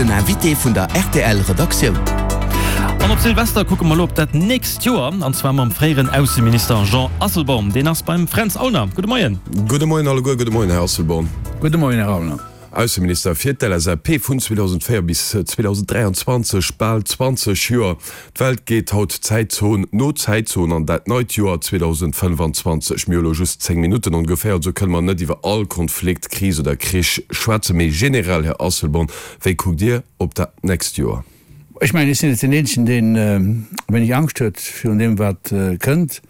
Den Invité vun der rtl Redaktioun. An op Silvester kucke mer elo op dat nächst Joer, an zwar mam fréieren Ausseminister Jean Asselborn. Deen ass beim Fränz Aulner. Gudde Moien. Gudde Moien alleguer. Gudde Moien, Här Asselborn. Gudde Moien, Här Aulner. Ausseminister fir d'LSAP vun 2004 bis 2023, bal 20 Joer. D'Welt geet haut Zäitzon no Zäitzon an dat neit Joer 2025. Mir hu lo just 10 Minutten ongeféier, also kënne mer net iwwer all Konflikt, Kris oder Krich schwätzen. Mee generell, Här Asselborn, wéi kuckt Dir op dat nächst Joer? Ech mengen, ech sinn net deen Eenzegen, deen e wéineg Angscht huet virun deem, wat kënnt,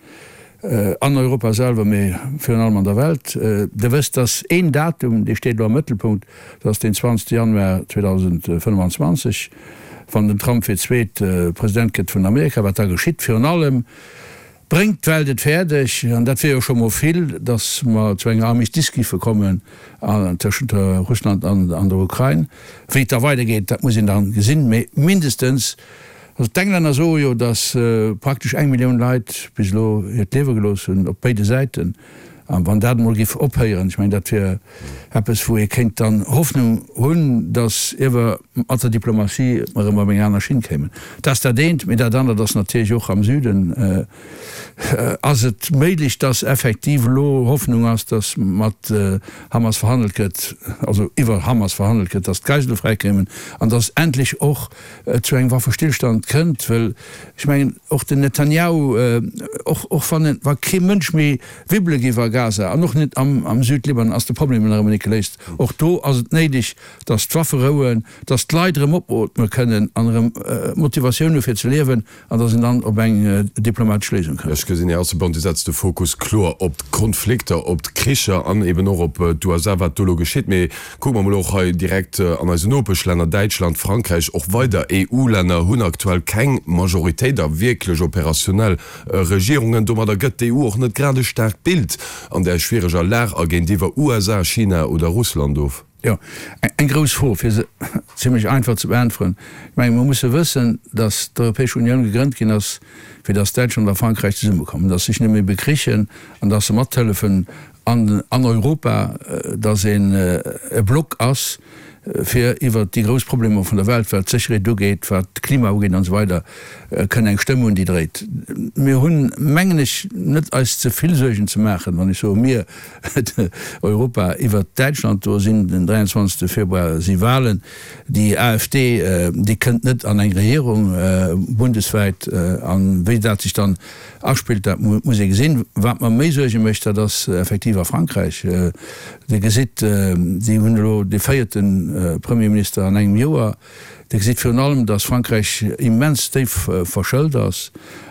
an Europa selwer, mee virun allem an der Welt. Der wësst, dass een Datum, dee steet elo am Mëttelpunkt, dat ass deen 20. Januar 2025, wann den Trump fir d'zweet President gëtt vun Amerika, wat da geschitt. Virun allem bréngt d'Welt et fäerdeg, an dat wier jo scho mol vill, datt mer zu enger Armistice giffe kommen tëschent Russland an der Ukrain. Wéi et da weidergeet, dat muss een da gesinn, mee mindestens, also d'Englänner soe jo, datt praktesch eng Millioun Leit bis elo hiert Liewe gelooss hunn op béide Säiten. A wann dat emol géif ophéieren, ech mengen, dat wier eppes, wou ee kéint dann Hoffnung hunn, datt iewer mat der Diplomatie mer erëm op eng aner Schinn kéimen. Dat ass dat eent. Mee dat anert ass natierlech och, am Süden ass et méiglech, datt effektiv elo Hoffnung ass, datt mat Hamas verhandelt gëtt, also iwwer Hamas verhandelt gëtt, datt d'Geisele fräikéimen an datt endlech och et zu engem Waffestillstand kënnt, well ech mengen, och den Netanjahu, och och wann en, wa kee Mënsch méi wibbele géif a Gaza an och net am am Südlibanon, ass de Problem nach ëmmer net geléist. Och do ass et néideg, datt d'Waffe rouen, datt d'Leit erëm opootme kënnen an erëm Motivatioun hu fir ze liewen. An datt een dann op eng diplomatesch Léisung kënnt. Ech gesinn, Här Asselborn, Dir setzt de Fokus kloer op d'Konflikter, op d'Kricher an eben och op d'USA, wat do elo geschitt. Mee kucke mer emol och hei direkt an eisen Nopeschlänner, Däitschland, Frankräich, och weider EU-Länner hunn aktuell keng Majoritéit a wierklech operationell Regierungen. Domadder gëtt d'EU och net grad e staarkt Bild an där schwiereger Lag a géintiwwer USA, China oder Russland of. Jo, eng grouss Fro, fir se zimlech einfach ze beäntweren. Ech mengen, mer musse wëssen, datt d'Europäesch Unioun gegrënnt ginn ass, fir datt Däitschland a Frankräich zesummekommen, datt sech net méi bekrichen an datt se mathëllefen an an Europa, datt een e Block ass, fir iwwert déi grouss Problemer vun der Welt, wat d'Sécherheet ugeet, wat d'Klima ugeet an esou weider, kënne eng Stëmm hunn, déi dréit. Mir hunn, mengen ech, net eis ze vill Suergen ze maachen, wann ech soe mir, Europa iwwert Däitschland, do sinn den 23 Februar si Wahlen. Déi AfD, déi kënnt net an eng Regierung bundeswäit. An wéi dat sech dann aspillt, dat muss ee gesinn. Wat mer méi Suerge mécht, dat ass effektiv a Frankräich. Dir gesitt, déi hunn elo dee véierte Premierminister an engem Joer. Dir gesitt virun allem, datt Frankräich immens déif verschëlt ass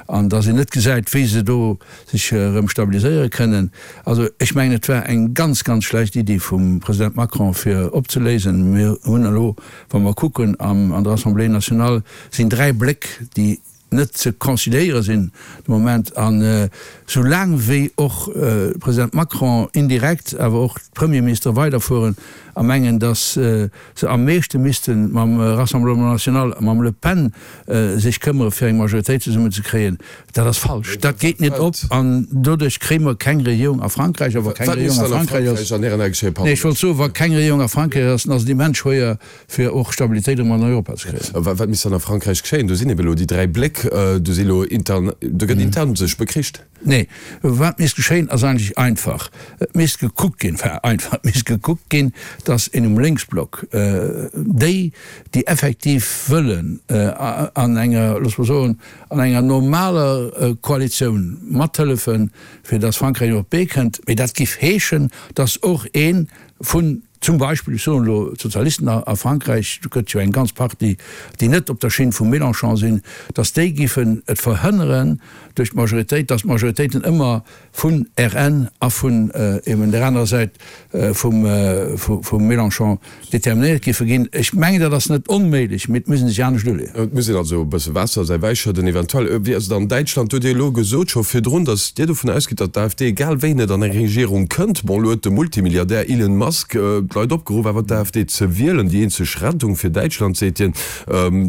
an datt een net gesäit, wéi se do sech erëm stabiliséiere kënnen. Also ech mengen, et war eng ganz, ganz schlecht Iddi vum President Macron, fir opzeléisen. Mir hunn elo, wa mer kucken, an der Assemblée nationale sinn 3 Bléck, déi net ze conciliéiere sinn de Moment. An esou laang wéi och de President Macron indirekt, awer och d'Premierministere weiderfueren a mengen, datt se am meeschte misste mam Rassemblement national a mam Le Pen sech këmmere fir eng Majoritéit zesummen ze kréien, dat ass falsch. Dat geet net op an doduerch kréie mer keng Regierung a Frankräich. A wa keng Regierung a Frankräich ass, nee ech wollt soen, wa keng Regierung a Frankräich ass, dann ass et immens schwéier fir och Stabilitéit erëm an Europa ze kréien. Wat misst dann a Frankräich geschéien? Do sinn ebe lo déi 3 Bléck, do si lo intern, do gëtt intern sech bekricht. Nee, wat misst geschéien ass eigentlech einfach, Et misst gekuckt ginn, enfin einfach, et misst gekuckt ginn, datt een um Lénksblock déi, déi effektiv wëllen an enger, loosse mer soen, an enger normaler Koalitioun mathëllefen, fir datt Frankräich op d'Bee kënnt, mee dat giff heeschen, datt och ee vun Zum Beispill, ech soen elo d'Sozialisten a Frankräich, do gëtt jo eng ganz Partie, déi net op der Schinn vum Mélenchon sinn, datt déi giffen et verhënneren duerch d'Majoritéit, datt d'Majoritéiten ëmmer vun RN a vun eben där anerer Säit vum Mélenchon determinéiert giffe ginn. Ech mengen, dat ass net onméiglech, mee et muss ee sech anescht uleeën. Et muss een also e bësse Waasser a säi Wäi schëdden eventuell. Wéi ass et an Däitschland? Do hutt Dir elo gesot scho virdrun, datt Dir dovun ausgitt, datt d'AfD egal wéi net an eng Regierung kënnt. Bon, elo huet de Multimilliardär Elon Musk d'Leit opgeruff awer d'AfD ze wielen. Déi eenzeg Rettung fir Däitschland, seet hien.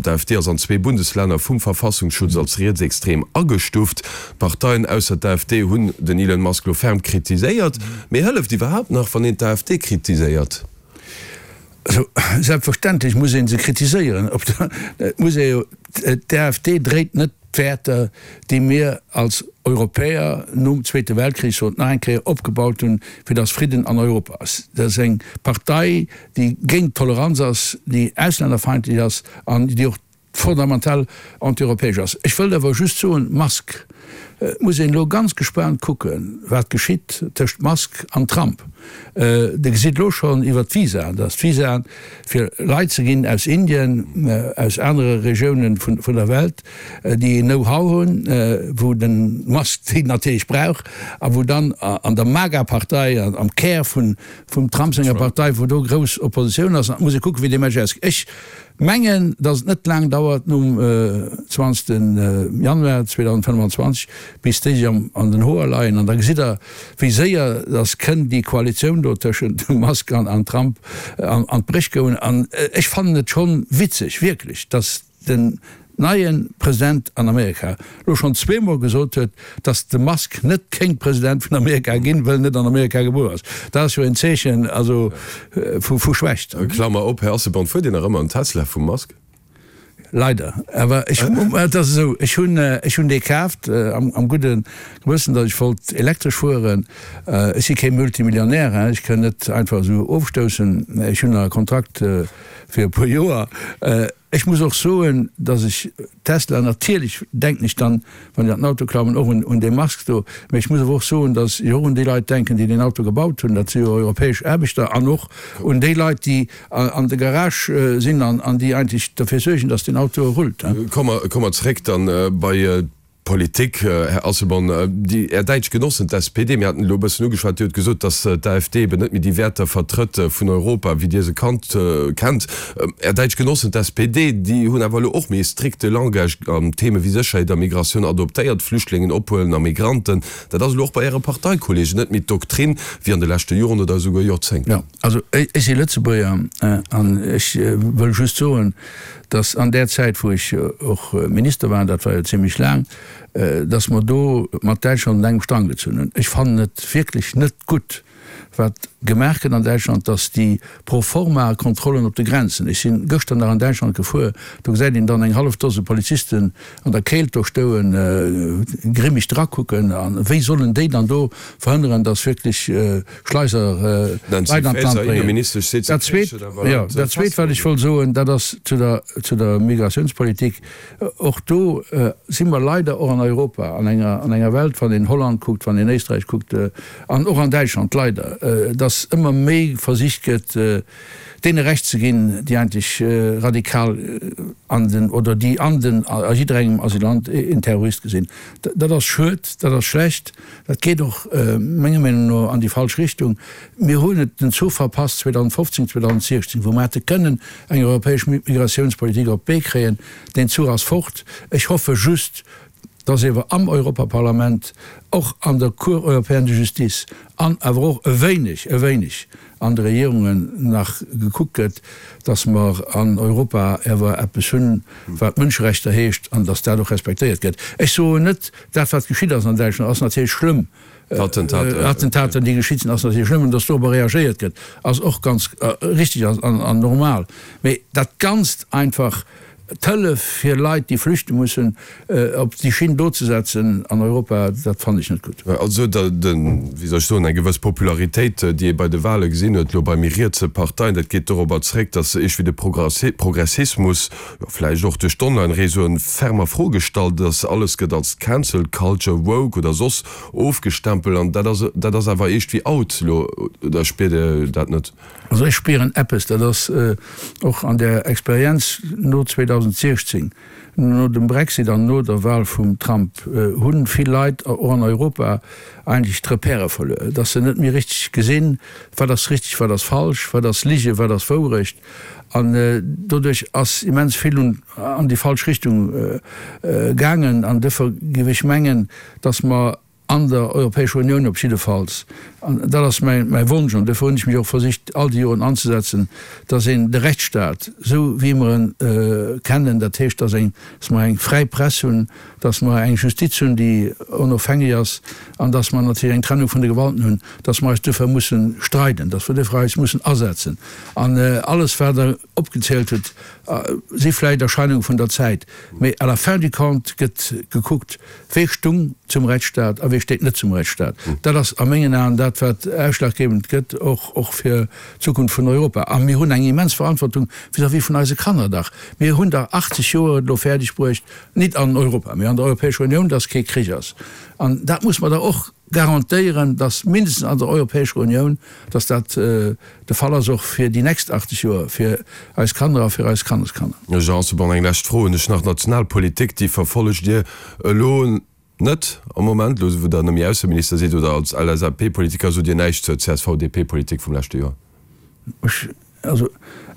D'AfD ass an zwee Bundeslänner vum Verfassungsschutz als rietsextrem agestuft. D'Parteien ausser d'AfD hunn den Elon Musk elo ferm kritiséiert. Mee hëlleft iwwerhaapt nach, wann een d'AfD kritiséiert? Also, selbstverständlech muss ee se kritiséieren. Op der, et muss ee jo, d'AfD dréit net d'Wäerter, déi mir als Europäer nom Zweete Weltkrich, sot nach eng Kéier, opgebaut hunn, fir datt Fridden an Europa ass. Dat ass eng Partei, déi géint d'Toleranz ass, déi auslännerfeindlech ass an déi och fondamental antieuropäesch ass. Ech wëllt awer just soen, Musk, et muss een elo ganz gespaant kucken, wat geschitt tëscht Musk an Trump. Der gesitt elo schonn iwwert d'Visaen, datt d'Visaen fir Leit ze ginn aus Indien, aus anere Regiounen vun der Welt, déi een Know-how hunn, wou de Musk déi natierlech brauch a wou dann an der MAGA-Partei, am Kär vum Trump senger Partei, wou do grouss Oppositioun ass. An et muss ee kucken, wéi dee Match ausgeet. Ech Mengen, dass et net laang dauert nom 20 Januar 2025, bis déi sech an den Hoer leien. An da gesitt Der, wéi séier dass kënn déi Koalitioun do tëschent Musk an Trump an d'Bréch goen. An ech fannen et schonn witzeg, wierklech, dass den neie President an Amerika lo schonn zweemol gesot huet, dass de Musk net kéint President vun Amerika ginn, wëll en net an Amerika gebuer ass. Dat ass jo en Zeechen also vu Schwächt. Klammer op, Här Asselborn, fuert Dir nach ëmmer en Tesla vum Musk? Leider, awer ech, et ass esou, ech hunn, ech hunn dee kaaft am gudde Gewëssen, datt ech wollt elektresch fueren. Ech si kee Multimillionär, ech kënn net einfach esou ofstoussen. Ech hunn nach e Kontrakt fir e puer Joer. Ech muss och soen, dass ech Tesla, natierlech denken ech dann, wann ech an den Auto klammen, och un dee Musk do, mä ech muss awer och soen, dass ech och un déi Leit denken, déi deen Auto gebaut hunn, dat si jo europäesch Aarbechter, an och un déi Leit, déi an de Garagë sinn an déi eigentlech derfir suergen, dass deen Auto rullt. Komme mer zréck dann bei Politik, Här Asselborn, déi Är däitsch Genossen, d'SPD, mir haten elo e bëssen ugeschwat, déi huet gesot, datt d'AfD eben net méi déi Wäerter vertrëtt vun Europa, wéi Dir se kannt, kennt. Är däitsch Genossen, d'SPD, déi hunn awer elo och méi e strikte Langage an Theme wéi Sécherheet a Migratioun adoptéiert, Flüchtlingen ophuelen a Migranten. Dat ass elo och bei Äre Parteikollegen net méi d'Doktrin wéi an de leschte Joren oder esouguer Joerzéngten. Jo, also ech si Lëtzebuerger an ech wëll just soen, dass an där Zäit, wou ech och Minister war, dat war jo zimlech laang, dass mer do mat Däitschland un engem Strang gezunn hunn. Ech fannen et wierklech net gutt, wat gemaach gëtt an Däitschland, dass déi Pro-forma-Kontrollen op de Grenzen, ech si gëschter nach an Däitschland gefuer, do gesäit een dann eng hallef Dose Polizisten an der Kéilt do stouen, grimmeg drakucken, a wéi sollen déi dann do verhënneren, dass wierklech Schleiser Leit an d'Land bréngen. Dat Zweet, jo, dat Zweet, wat ech wollt soen, dat ass zu der, zu der Migratiounspolitik. Och do si mer leider och an Europa an enger, an enger Welt, wann een Holland kuckt, wann een Éisträich kuckt an och an Däitschland leider, dass ëmmer méi versicht gëtt, deene Recht ze ginn, déi eigentlech radikal an den, oder déi an den, a jidderengem Asylant een Terrorist gesinn. Dat ass schued, dat ass schlecht. Dat geet och menger Meenung no an déi falsch Richtung. Mir hunn et den Zuch verpasst 2015, 2016, wou mer hätte kënnen eng europäesch Migratiounspolitik op d'Bee kréien. Deen Zuch ass fort. Ech hoffe just, dass ewer am Europaparlament, och an der Cour européenne de justice an awer och e wéineg, e wéineg an de Regierungen nach gekuckt gëtt, dass mer an Europa ewer eppes hunn, wat Mënscherechter heescht, an dass dat och respektéiert gëtt. Ech soen net, dat wat geschitt ass an Däitschland, ass natierlech schlëmm, Attentater, déi geschitt sinn, ass natierlech schlëmm, an dass dorobber reagéiert gëtt, ass och ganz richtig an normal. Mee dat Ganzt einfach D'Hëllef fir Leit, déi flüchte mussen, op déi Schinn do ze setzen an Europa, dat fannen ech net gutt. Also den, wéi soll ech soen, eng gewëss Popularitéit, déi ee bei de Wahle gesinn huet, elo bei méi rietse Parteien, dat geet dorobber zréck, datt iergwéi de Progressismus, jo vläicht och duerch d'Online-Réseauen, ferm a Fro gestallt ass. Alles gëtt als Cancel Culture, woke oder soss ofgestempelt an dat ass, dat ass awer iergdwéi out elo, oder spiert Dir dat net? Also ech spieren eppes, dat ass och an der Experienz no 2016, no dem Brexit an no der Wahl vum Trump, hu vill Leit och an Europa eigentlech d'Repèrë verluer, dass se net méi richteg gesinn, wat ass richteg, wat ass falsch, wat ass Lige, wat ass Wourecht. An doduerch ass immens vill an déi falsch Richtung gaangen. An duerfir géif ech mengen, dass mer. An der Europäescher Unioun op jiddefalls, an dat ass mäi Wonsch, an duerfir hunn ech mech och versicht all déi Joren anzesetzen, dass een de Rechtsstaat, esou wéi mer en kennen, dat heescht, dass eng, dass mer eng fräi Press hunn, dass mer eng Justiz hunn, déi onofhängeg ass, an dass mer natierlech eng Trennung vun de Gewalten hunn, dass mer eis duerfir mussen streiden, dass mer duerfir eis mussen asetzen. An alles, wat Der opgezielt hutt, si vläicht Erscheinunge vun der Zäit, mee à la fin du compte gëtt gekuckt, Wee stung zum Rechtsstaat a wee steet net zum Rechtsstaat? Dat ass a mengen Aen dat, wat ausschlaggebend gëtt, och och fir d'Zukunft vun Europa. A mir hunn eng immens Verantwortung vis-à-vis vun eise Kanner dach. Mir hunn dach 80 Joer et elo fäerdeg bruecht, nit an Europa, mee an der Europäescher Unioun, dass kee Krich ass. An dat muss mer dach och garantéieren, dass mindestens an der Europäescher Unioun, dass dat de Fall ass och fir déi nächst 80 Joer, fir eis Kanner a fir eis Kanneskanner. Jean Asselborn, eng lescht Fro hunn ech nach. D'Nationalpolitik, déi verfollegt Dir elo net am Moment, elo wou Der net méi Ausseminister sidd, oder als LSAP-Politiker sot Dir näischt zur CSV-DP-Politik vum leschte Joer? Ech, also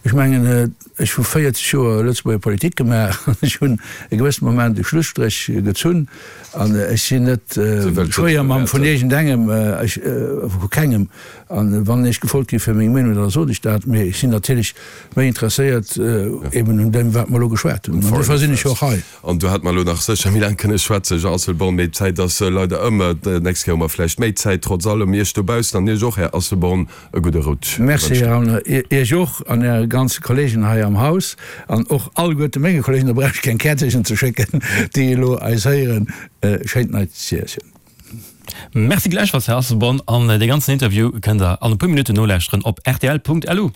ech mengen, ech hu 40 Joer Lëtzebuerger Politik gemaach an ech hunn e gewëssene Moment e Schlusstréch gezunn an ech sinn net Schwéiermamm vun iergendengem, ech, vu kengem. An wann ech gefrot gi fir meng Meenung, da sot ech dat. Mee ech sinn natierlech méi interesséiert eben un deem, wat mer elo geschwat hunn. An dofir sinn ech jo och hei. An do hätt mer elo nach sécher méi laang kënne schwätzen, Jean Asselborn, mee d'Zäit ass leider ëm. D'nächst Kéier hu mer vläicht méi Zäit. Trotz allem Iech dobaussen an Iech och, Här Asselborn, e gudde Rutsch Merci, Här Aulner, Iech och an Äre ganze Kollegen hei am Haus an och alleguerte menge Kollegen, da brauch ech keng Käerzechen ze schécken, déi elo eis héieren. Schéint neit Joerchen. Merci gläichfalls, Här Asselborn. An dee ganzen Interview kënnt Der an e puer Minutten nolauschteren op rtl.lu.